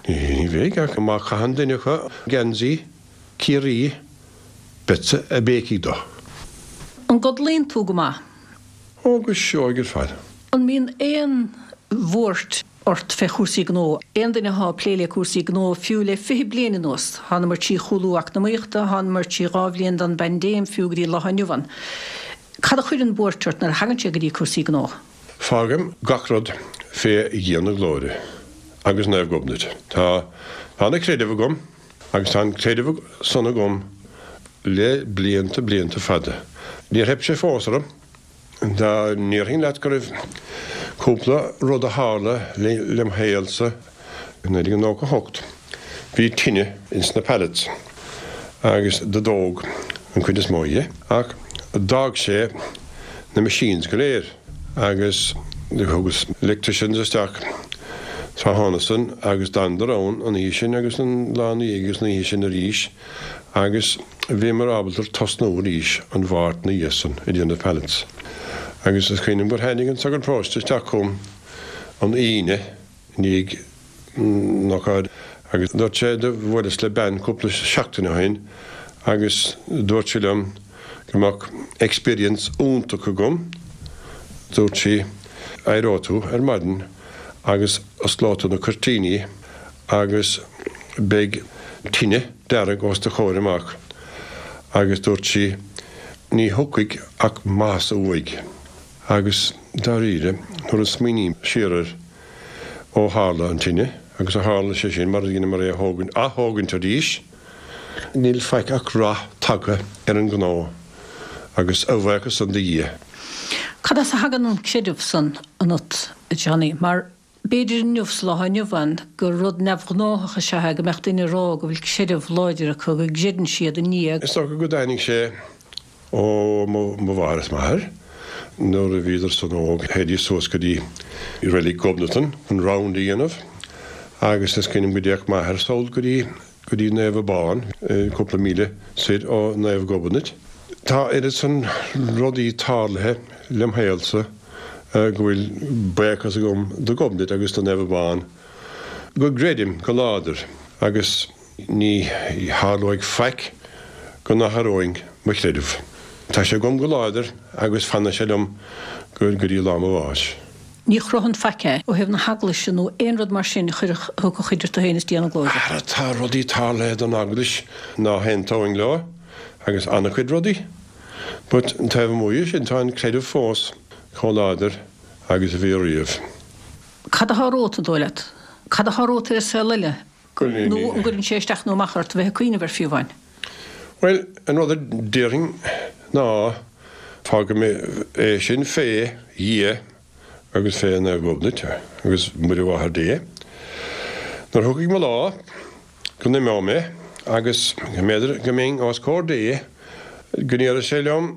Ní bheidh, ach má chaitheann duine acu geansaí Chiarraí, beadsa ag béicigh dó. An gcodlaíonn tú go maith? Ó, go seoigh ar fad. An mbíonn aon bhuairt ort fé chúrsaí gnó? Aon duine athá ag plé le cúrsaí gnó fiú le fiche bliain anuas, thánamar trí chúlú eacnamaíochta, thánamar trí dhá bhliain den bpaindéim fiú go dtí lá inniu ann. Cad a chuireann buairt ort nuair a thagann sé go dtí cúrsaí gnó? Fágaim gach rud fé Dhia na Glóire agus Naomh Gobnait. Tá ana-chreideamh agam agus tá an creideamh san agam le blianta, blianta fada. Níor theip sé fós orm. Dá ndéarfainn leat go raibh cúpla rud a tharla lem shaolsa i naoi déag nócha hocht, bhí tine ins na pallets agus do dódh an chuid is mó dhe, ach d'fhág sé na machines go léir agus do thugas electricians isteach tráthnóna san agus d'fhanadar ann an oíche sin agus an lá ina dhiaidh agus an oíche sin arís agus bhíomar ábalta tosnú arís an Mháirt ina dhiaidh san ag déanamh pallets. Agus is cuimhin liom gur tháinig an sagart paróiste isteach chugam an Aoine i ndiaidh an ócáid agus dúirt sé do bhuaileas le bean cúpla seachtain ó shin agus dúirt sí liom go mbeadh experience iontach agam, dúirt sí, éireoidh tú ar maidin agus osclóidh tú na cuirtíní agus beidh tine dearg os do chomhair amach agus dúirt sí, ní thiocfaidh ach maitheas uaidh. Agus dáiríre, nuair a smaoiním siar air ó tharla an tine, agus ó tharla sé sin mar a dheineamar é a thógaint, ath-thógaint arís, níl faic ach rath tagtha ar an ngnó agus a bhuíochas san do Dhia. Cad as a thagann an creideamh san ionat, a Johnny? Mar b'fhéidir inniu, sa lá inniu ann, gur rud neamhghnáthach is ea é go mbeadh duine ag rá go bhfuil creideamh láidir acu, go gcreideann siad i nDia. Is dócha go dtáinig sé ó mo mháthair is m'athair. Nuair a bhíodar san óg, théidís suas go dtí Reilig Ghobnatan chun round a dhéanamh agus is cuimhin liom go dtéadh m'athair sall go dtí go dtí Naomh Abán, cúpla míle soir ó Naomh Gobnait. Tá oiread san rudaí tarlaithe lem shaolsa go bhfuil buíochas agam do Ghobnait agus do Naomh Abán go gcreidim go láidir agus ní tharlóidh faic go n-athróinn mo chreideamh. Tá sé agam go láidir agus fanfaidh sé liom go dtí lá mo bháis. Ní chroitheann faic é ó thaobh na hEaglaise nó aon rud mar sin a chuirfeadh thiocfadh idir tú féin is Dia na Glóire. Ara tá rudaí tarlaithe don Eaglais ná haontóinn leo agus an-chuid rudaí. But taobh amuigh de sin tá an creideamh fós chomh láidir agus a bhí riamh. Cad atá romhat, an dóigh leat? Cad atá romhat ar an saol eile? Nó an gcuireann sé isteach nó amach ort a bheith ag cuimhneamh air fiú amháin? Bhuel, an rud a déarfainn ná fágfaidh mé é sin fé Dhia agus fé Naomh Gobnait agus Muire Mháthair Dé. Nuair a thiocfaidh mo lá, go n-imeoidh mé agus go mb'fhéidir go mbeinn os comhair Dé, go ndéarfaidh sé liom,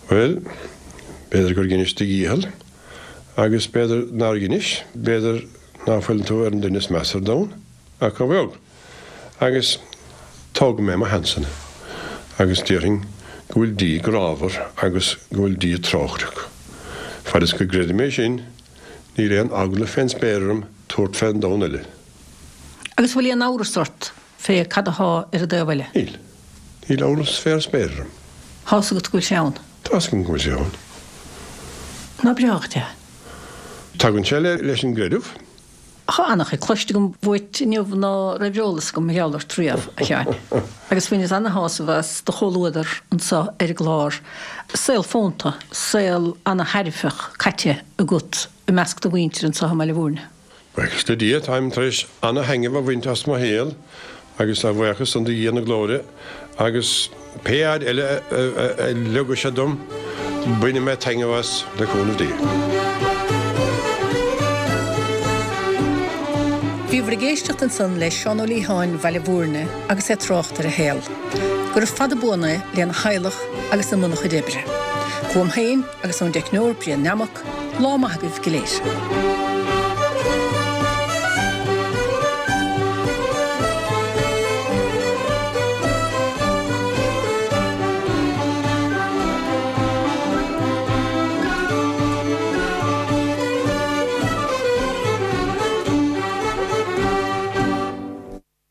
Bhuel, b'fhéidir gur dheinis do dhícheall agus b'fhéidir nár dheinis, b'fhéidir ná fuil tú ar an duine is measa ar domhan, ach a bheag. Agus tógfaidh mé mo sheansanna agus déarfainn go bhfuil Dia grámhar agus go bhfuil Dia trócaireach. Fad is go gcreidim é sin, níl aon eagla fén spéir orm tabhairt fén domhan eile. Agus bhfuil aon amhras ort fé cad athá ar an dtaobh eile? Níl. Níl amhras fé ar spéir orm. Tá's agat go bhfuil sé ann? Tá's agam go bhfuil sé ann. Nach breá dhuit é? Tagann sé leis an gcreideamh. Tá an-chuid cloiste agam uait inniu ná raibh eolas agam mar gheall ort riamh, a Sheáin. Agus bhaineas ana-shásamh as do chomhluadar anseo ar an gclár. Saol fónta, saol ana-thairbheach caite agat i measc do mhuintire anseo i mBaile Bhúirne. Buíochas le Dia, táim tar éis ana-thaitneamh a bhaint as mo shaol agus a bhuíochas san do Dhia na Glóire agus pé fhad eile a leogfaidh sé dom, bainfidh mé taitneamh as le cúnamh Dé. Bhíobhair ag éisteacht ansan le Seán Ó Liatháin Bhaile Bhúirne agus é ag trácht ar a shaol. Gura fada buan é lena theaghlach agus i mbun a chuid oibre. Uaim féin agus ón dteicneoir Brian Nammock, lá maith agaibh go léir.